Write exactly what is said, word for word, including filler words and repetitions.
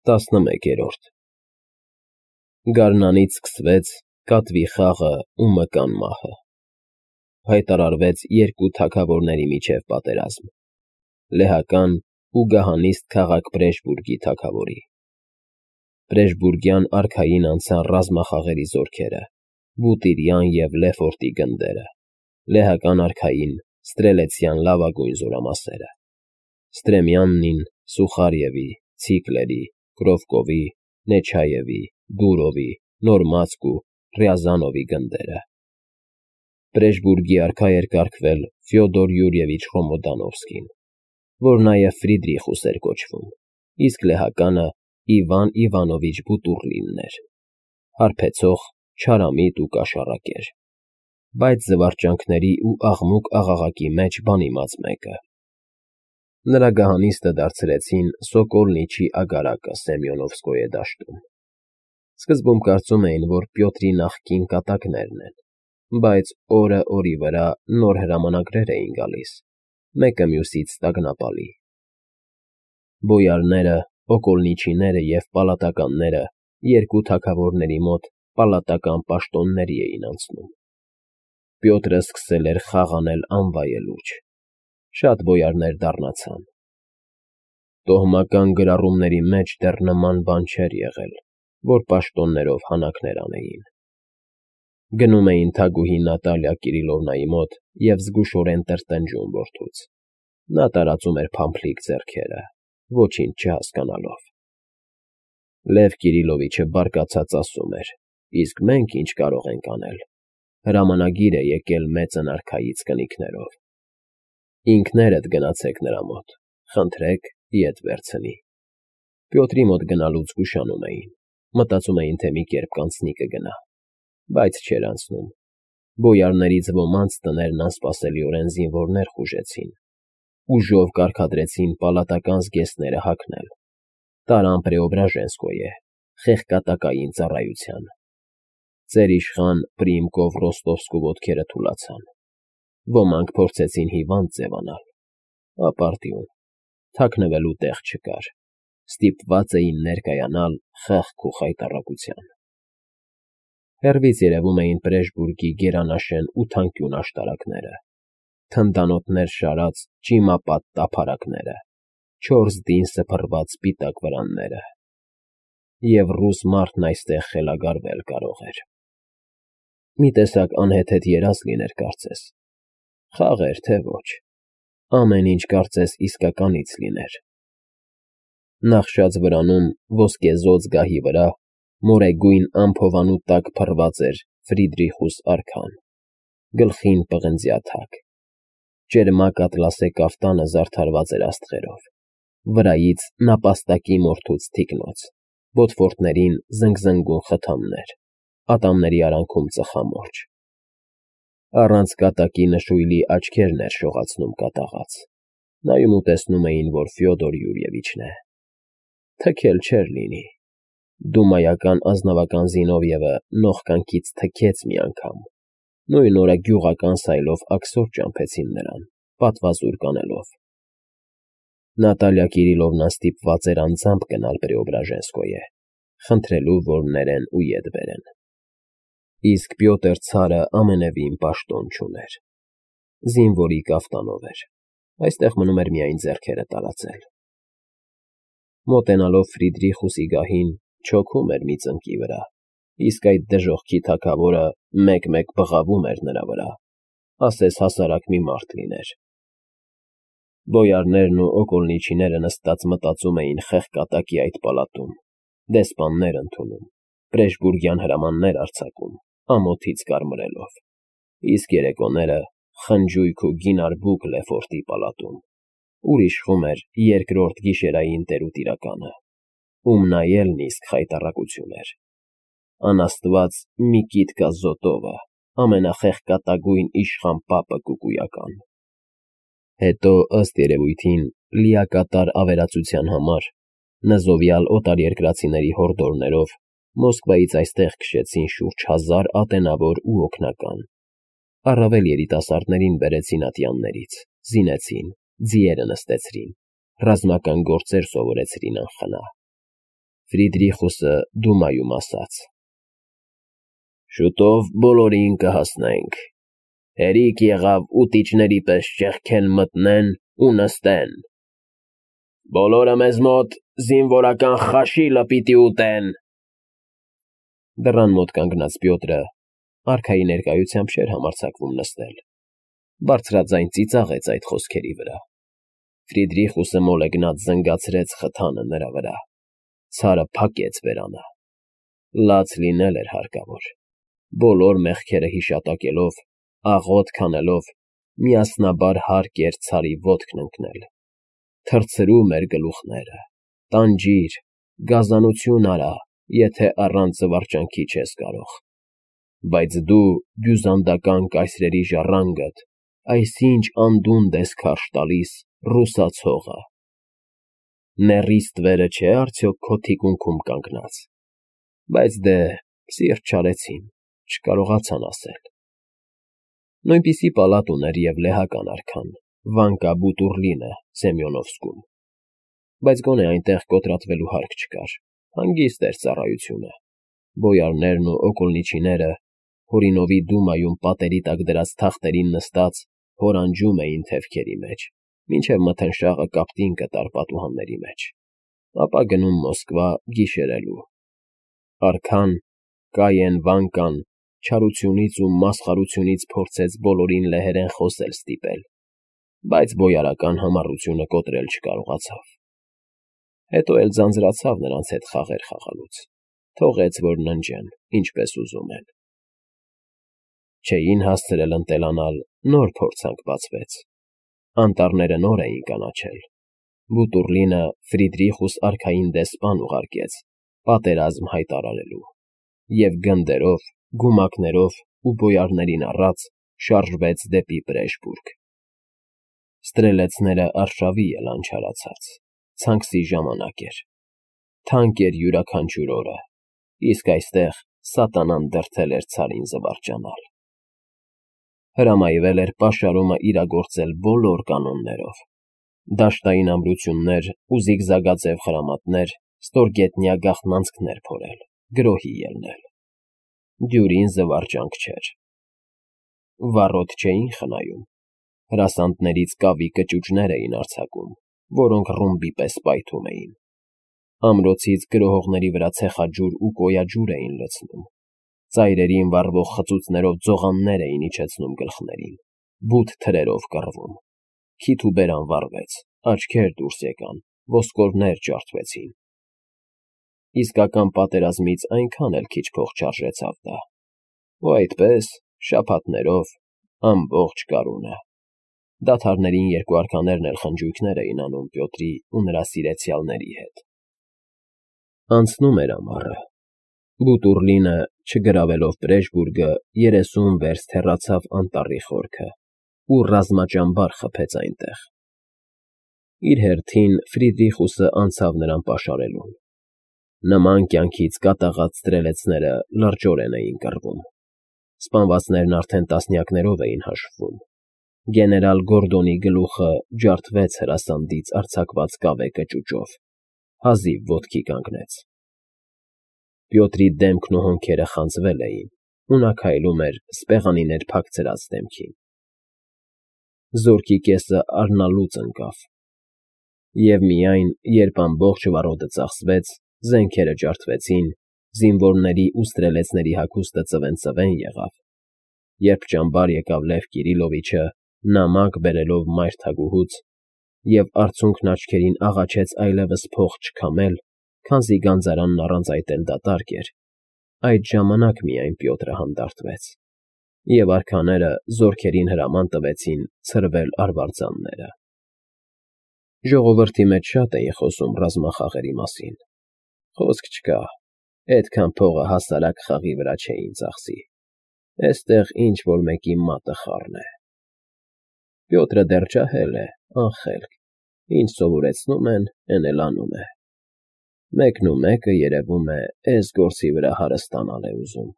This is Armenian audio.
տասնմեկերորդ Գարնանից սկսվեց կատվի խաղը ու մկան մահը, հայտարարվեց երկու թագավորների միջև պատերազմ՝ լեհական ու գահանիստ քաղաք Պրեժբուրգի թագավորի։ Պրեժբուրգյան արքային անցան ռազմախաղերի զորքերը, Բուտիրյան և Լեֆորտի գնդերը, լեհական արքային ստրելեցյան լավագույն զորամասերը, Ստրեմյաննին, Սուխարևի, Ցիկլերի, Կրովկովի, Նեչայևի, Դուրովի, Նորմացկ ու Ռյազանովի գնդերը։ Պրեժբուրգի արքա էր կարգվել Ֆյոդոր Յուրիևիչ Ռոմոդանովսկին, որ նաև Ֆրիդրիխուս էր կոչվում, իսկ լեհականը Իվան Իվանովիչ Բուտուռլինն էր, հարբեցող, չարամիտ ու կաշառակեր, բայց զվարճանքների ու աղմուկ֊աղաղակի մեջ բանիմաց մեկը։ Նրա գահանիստը դարձրեցին Սոկոլնիչի ագարակը Սեմյոնովսկոյե դաշտում։ Սկզբում կարծում էին, որ Պյոտրի նախկին կատակներն են, բայց օրը օրի վրա նոր հրամանագրեր էին գալիս, մեկը մյուսից տագնապալի։ Բոյարները, Օկոլնիչիները և պալատականները երկու թագավորների մոտ պալատական պաշտոնների էին անցնում։ Պյոտրը սկսել էր խաղ անել անվայելուչ, շատ բոյարներ դառնացան։ Տոհմական գրառումների մեջ դեռ նման բան չէր եղել, որ պաշտոններով հանաքներ անեին։ Գնում էին թագուհի Նատալիա Կիրիլովնայի մոտ և զգուշորեն տրտնջում որդուց։ Նա տարածում էր փամփլիկ ձեռքերը, ոչինչ չհասկանալով։ Լև Կիրիլովիչը բարկացած ասում էր. «Իսկ մենք ինչ կարող ենք անել։ Հրամանագիր է եկել մեծն արքայից կնիկներով։ Ինքներդ գնացեք նրա մոտ, խնդրեք, ետ վերցնի»։ Պյոտրի մոտ գնալուց զգուշանում էին, մտածում էին, թե մի կերպ կանցնի կգնա, բայց չէր անցնում։ Բոյարներից ոմանց տներն անսպասելիորեն զինվորներ խուժեցին, ուժով կարգադրեցին պալատական զգեստները հագնել, տարան Պրեոբրաժենսկոյե, խեղկատակային ծառայության։ Ծեր իշխան Պրիմկով Ռոստովսկու ոտքերը թուլացան։ Ոմանք փորձեցին հիվանդ ձևանալ, ապարդյուն, թաքնվելու տեղ չկար, ստիպված էին ներկայանալ խեղճ ու խայտառակության։ Հեռվից երևում էին Պրեժբուրգի գերանաշեն ու թանկյուն աշտարակները, թնդանոթներ շարած ճիմապատ տափարակները, չորս դին սփռված սպիտակ վրանները։ Եվ ռուս մարդն այստեղ խելագարվել կարող էր։ Մի տեսակ անհեթեթ երազ լիներ կարծես, խաղ էր, թե ոչ, ամեն ինչ կարծես իսկականից լիներ։ Նախշած վրանում ոսկեզօծ գահի վրա մորեգույն ամփոփանու տակ փռված էր Ֆրիդրիխուս արքան, գլխին պղնձյա թակ, ճերմակ ատլասե կաֆտանը զարդարված էր աստղերով, վրայից նապաստակի մորթուց թիկնոց, բոթֆորտներին զնգզնգուն խթամներ, ատամների արանքում ծխամորճ։ Առանց կատակի նշույլի աչքերն էր շողացնում կատաղած, նայում ու տեսնում էին, որ Ֆյոդոր Յուրիևիչն է։ Թքել չէր լինի։ Դումայական ազնվական Զինովիևը նողկանքից թքեց մի անգամ, նույն օրը գյուղական սայլով աքսոր ճամփեցին նրան, պատվազուր կանելով։ Նատալիա Կիրիլովնան ստիպված էր անձամբ գնալ Պրեոբրաժենսկոյե, խնդրելու, որ ներեն ու ետ բերեն։ Իսկ Պյոտր ցարը ամենևին պաշտոն չուներ։ Զինվորի կաֆտանով էր, այստեղ մնում էր միայն ձեռքերը տարածել։ Մոտենալով Ֆրիդրիխուսի գահին չոքում էր մի ծնկի վրա, իսկ այդ դժոխքի թագավորը մեկ֊մեկ բղավում էր նրա վրա, ասես հասարակ մի մարդ լիներ։ Բոյարներն ու Օկոլնիչիները նստած մտածում էին խեղկատակի այդ պալատում, դեսպաններ ընդունում, Պրեժբուրգյան հրամաններ արձակում, ամոթից կարմրելով, իսկ երեկոները խնջույք ու գինարբուք Լեֆորտի պալատում, ուր իշխում էր երկրորդ գիշերային տերուտիրականը, ում նայելն իսկ խայտառակություն էր։ Անաստված Միկիտկա Զոտովը, ամենախեղկատագույն իշխան պապը կուկույական։ Հետո, ըստ երևույթին, լիակատար ավերածության համար, նզովյալ օտարերկրացիների հորդորներով Մոսկվայից այստեղ քշեցին շուրջ հազար ատենավոր ու օգնական, առավել երիտասարդներին բերեցին ատյաններից, զինեցին, ձիերը նստեցրին, ռազմական գործեր սովորեցրին անխնա։ Ֆրիդրիխուսը դումայում ասաց. Շուտով բոլորին կհասնենք, հերիք եղավ ուտիչների պես ճեղքեն մտնեն ու նստեն, բոլորը մեզ մոտ զինվորական խաշիլը պիտի ուտեն։ Դռան մոտ կանգնած Պյոտրը արքայի ներկայությամբ չէր համարձակվում նստել, բարձրաձայն ծիծաղեց այդ խոսքերի վրա։ Ֆրիդրիխուսը մոլեգնած զնգացրեց խթանը նրա վրա, ցարը փակեց բերանը, լաց լինել էր հարկավոր, բոլոր մեղքերը հիշատակելով, աղոթք անելով, միասնաբար հարկ էր ցարի ոտքն ընկնել, թռցրում էր գլուխները, տանջիր, գազանություն արա, եթե առանց զվարճանքի չես կարող, բայց դու բյուզանդական կայսրերի ժառանգդ, այսինչ անդունդը ես քարշ տալիս ռուսացողը, նեռի ստվերը չէ արդյոք քո թիկունքում կանգնած, բայց դե սիրտ չարեցին, չկարողացան ասել։ Նույնպիսի պալատ ուներ և լեհական արքան, Վանկա Բուտուռլինը Սեմյոնովսկում, բայց գոնե այնտեղ կոտրատվելու հարկ չկար, հանգիստ էր ծառայությունը, բոյարներն ու օկոլնիչիները Հորինովի դումայում պատերի տակ դրած թախտերին նստած հորանջում էին թևքերի մեջ, մինչև մթնշաղը կապտին կտար պատուհանների մեջ, ապա գնում Մոսկվա գիշերելու։ Արքան, Կայեն Վանկան չարությունից ու մասխարությունից փորձեց բոլորին լեհերեն խոսել ստիպել, բայց բոյարական համառությունը կոտրել չկարողացավ։ Հետո էլ ձանձրացավ նրանց հետ խաղեր խաղալուց, թողեց, որ ննջեն, ինչպես ուզում են։ Չէին հասցրել ընտելանալ, նոր փորձանք բացվեց, անտառները նոր էին կանաչել, Բուտուռլինը Ֆրիդրիխուս արքային դեսպան ուղարկեց պատերազմ հայտարարելու, և գնդերով, գումակներով ու բոյարներին առած շարժվեց դեպի Պրեժբուրգ։ Ստրելեցները արշավի ելան չարացած, ցանքսի ժամանակ էր, թանկ էր յուրաքանչյուր օրը, իսկ այստեղ սատանան դրդել էր ցարին զվարճանալ։ Հրամայվել էր պաշարումը իրագործել բոլոր կանոններով, դաշտային ամրություններ ու զիգզագաձև խրամատներ, ստորգետնյա գաղտնանցքներ փորել, գրոհի ելնել։ Դյուրին զվարճանք չէր։ Վառոդ չէին խնայում, հրասանտներից կավի կճուճներ էին արձակում, որոնք ռումբի պես պայթում էին, ամրոցից գրոհողների վրա ցեխաջուր ու կոյաջուր էին լցնում, ծայրերին վառվող խծուծներով ձողաններ էին իջեցնում գլխներին, բութ թրերով կռվում, քիթ ու բերան վառվեց, աչքեր դուրս եկան, ոսկորներ ջարդվեցին։ Իսկական պատերազմից այնքան էլ քիչ փող չարժեցավ դա, ու այդպես, շաբաթներով, ամբողջ գարունը։ Դադարներին երկու արքաներն էլ խնջույքներ էին անում Պյոտրի ու նրա սիրեցյալների հետ։ Անցնում էր ամառը։ Բուտուռլինը, չգրավելով Պրեժբուրգը, երեսուն վերստ հեռացավ անտառի խորքը ու ռազմաճամբար խփեց այնտեղ։ Իր հերթին Ֆրիդրիխուսը անցավ նրան պաշարելուն։ Նման կյանքից կատաղած ստրելեցները լրջորեն էին կռվում։ Սպանվածներն արդեն տասնյակներով էին հաշվում։ Գեներալ Գորդոնի գլուխը ջարդվեց հրասանդից արձակված կավե կճուճով, հազիվ ոտքի կանգնեց։ Պյոտրի դեմքն ու հոնքերը խանձվել էին, ու նա քայլում էր սպեղանիներ փակցրած դեմքին։ Զորքի կեսը առնալուց ընկավ։ Եվ միայն, երբ ամբողջ վառոդը ծախսվեց, զենքերը ջարդվեցին, զինվորների ու ստրելեցների հագուստը ծվեն֊ծվեն եղավ, երբ ճամբար եկավ Լև Կիրիլովիչը, նամակ բերելով մայր թագուհուց, և արցունքն աչքերին աղաչեց այլևս փող չքամել, քանզի գանձարանն առանց այդ էլ դատարկ էր, այդ ժամանակ միայն Պյոտրը հանդարտվեց, և արքաները զորքերին հրաման տվեցին ցրվել արվարձանները։ Ժողովրդի մեջ շատ էին խոսում ռազմախաղերի մասին։ Խոսք չկա, այդքան փողը հասարակ խաղի վրա չէին ծախսի, էստեղ ինչ֊որ մեկի մատը խառն է։ Պյոտրը դեռ ջահել է, անխելք, ինչ սովորեցնում են, էն էլ անում է։ Մեկն ու մեկը, երևում է, էս գործի վրա հարստանալ է ուզում։